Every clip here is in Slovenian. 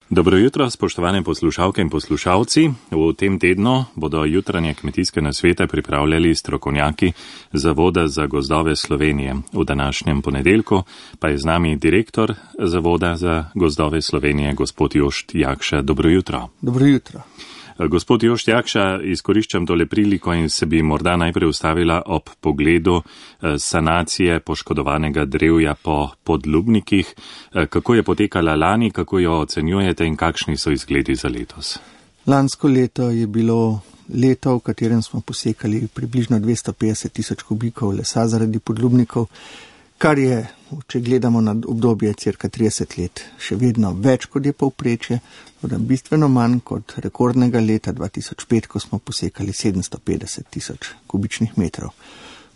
Dobro jutro, spoštovane poslušalke in poslušalci. V tem tednu bodo jutranje kmetijske nasvete pripravljali strokovnjaki Zavoda za gozdove Slovenije. V današnjem ponedeljku pa je z nami direktor Zavoda za gozdove Slovenije, gospod Jošt Jakša. Dobro jutro. Dobro jutro. Gospod Jošt Jakša, izkoriščam tole priliko in se bi morda najprej ustavila ob pogledu sanacije poškodovanega drevja po podlubnikih. Kako je potekala lani, kako jo ocenjujete in kakšni so izgledi za letos? Lansko leto je bilo leto, v katerem smo posekali približno 250 tisoč kubikov lesa zaradi podlubnikov, kar je, če gledamo na obdobje cirka 30 let, še vedno več kot je povprečje, bistveno manj kot rekordnega leta 2005, ko smo posekali 750 tisoč kubičnih metrov.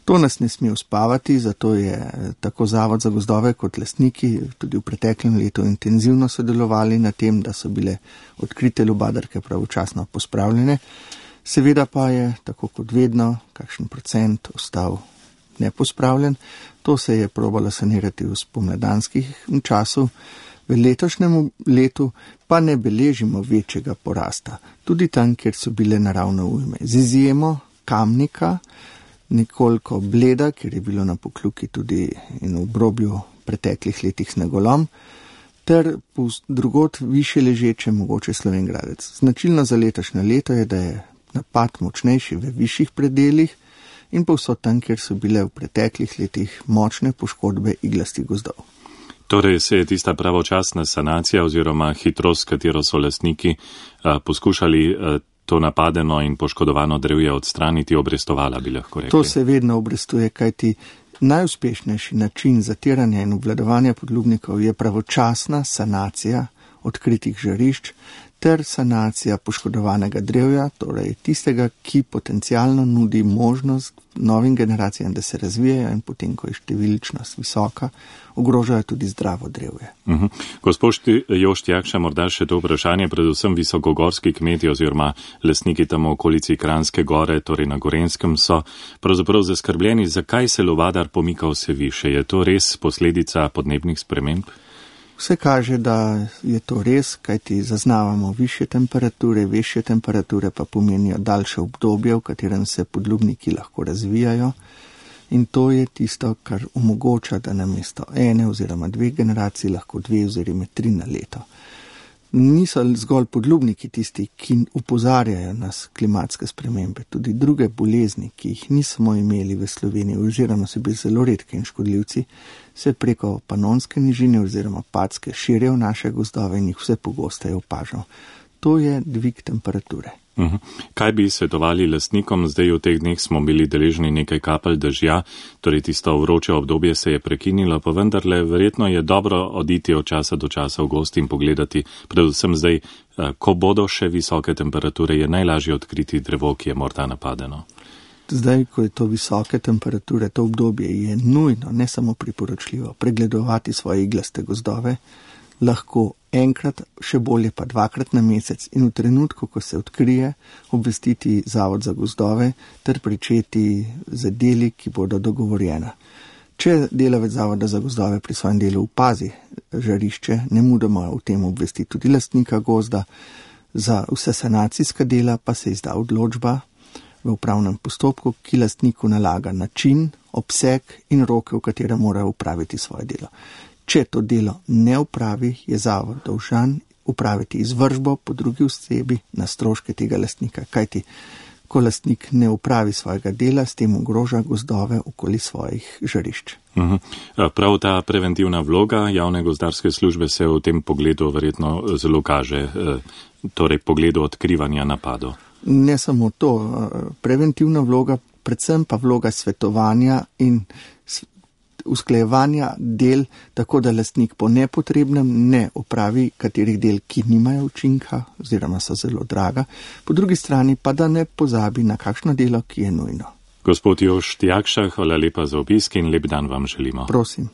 To nas ne sme uspavati, zato je tako Zavod za gozdove kot lastniki tudi v preteklem letu intenzivno sodelovali na tem, da so bile odkrite lubadarke pravočasno pospravljene. Seveda pa je, tako kot vedno, kakšen procent ostal nepospravljen. To se je probalo sanirati v spomladanskih času. V letošnjem letu pa ne beležimo večjega porasta, tudi tam, kjer so bile naravne ujme. Z izjemo Kamnika, nekoliko Bleda, kjer je bilo na Pokljuki tudi in v obrobju preteklih letih snegolom, ter drugod više ležeče mogoče Slovenj Gradec. Značilno za letošnje leto je, da je napad močnejši v višjih predelih in povsod tam, kjer so bile v preteklih letih močne poškodbe iglastih gozdov. Torej se je tista pravočasna sanacija oziroma hitrost, s katero so lastniki poskušali to napadeno in poškodovano drevje odstraniti, obrestovala, bi lahko rekli. To se vedno obrestuje, kajti najuspešnejši način zatiranja in obvladovanja podlubnikov je pravočasna sanacija odkritih žarišč ter sanacija poškodovanega drevja, torej tistega, ki potencialno nudi možnost novim generacijam, da se razvijajo in potem, ko je številčnost visoka, ogrožajo tudi zdravo drevje. Gospod Jošt Jakša, morda še to vprašanje, predvsem visokogorski kmeti oziroma lastniki tam v okolici Kranjske gore, torej na Gorenjskem, so pravzaprav zaskrbljeni, zakaj se lubadar pomika vse više. Je to res posledica podnebnih sprememb? Vse kaže, da je to res, kajti zaznavamo višje temperature pa pomenijo daljše obdobje, v katerem se podlubniki lahko razvijajo. In to je tisto, kar omogoča, da namesto ene oziroma dve generaciji lahko 2 oziroma 3 na leto. Niso zgolj podlubniki tisti, ki opozarjajo nas klimatske spremembe, tudi druge bolezni, ki jih nismo imeli v Sloveniji oziroma so bili zelo redki in škodljivci, se preko Panonske nižine oziroma Padske širijo v naše gozdove in jih vse pogosteje opažamo. To je dvig temperature. Kaj bi svetovali lastnikom? Zdaj v teh dneh smo bili deležni nekaj kapelj dežja, torej tisto vroče obdobje se je prekinilo, pa vendarle verjetno je dobro oditi od časa do časa v gost in pogledati, predvsem zdaj, ko bodo še visoke temperature, je najlažje odkriti drevo, ki je morda napadeno. Zdaj, ko je to visoke temperature, to obdobje je nujno, ne samo priporočljivo, pregledovati svoje iglaste gozdove, lahko enkrat, še bolje pa 2-krat na mesec in v trenutku, ko se odkrije, obvestiti Zavod za gozdove ter pričeti z deli, ki bodo dogovorjena. Če delavec Zavoda za gozdove pri svojem delu opazi žarišče, nemudoma o tem obvesti tudi lastnika gozda, za vse sanacijska dela pa se izda odločba v upravnem postopku, ki lastniku nalaga način, obseg in roke, v katere mora upraviti svoje delo. Če to delo ne upravi, je zavod dolžan upraviti izvršbo po drugi osebi na stroške tega lastnika, kajti ko lastnik ne upravi svojega dela, s tem ogroža gozdove okoli svojih žarišč. Prav ta preventivna vloga javne gozdarske službe se v tem pogledu verjetno zelo kaže, torej pogledu odkrivanja napadov. Ne samo to, preventivna vloga, predvsem pa vloga svetovanja in usklajevanja del, tako da lastnik po nepotrebnem ne opravi katerih del, ki nimajo učinka oziroma so zelo draga, po drugi strani pa da ne pozabi na kakšno delo, ki je nujno. Gospod Jošt Jakša, hvala lepa za obisk in lep dan vam želimo. Prosim.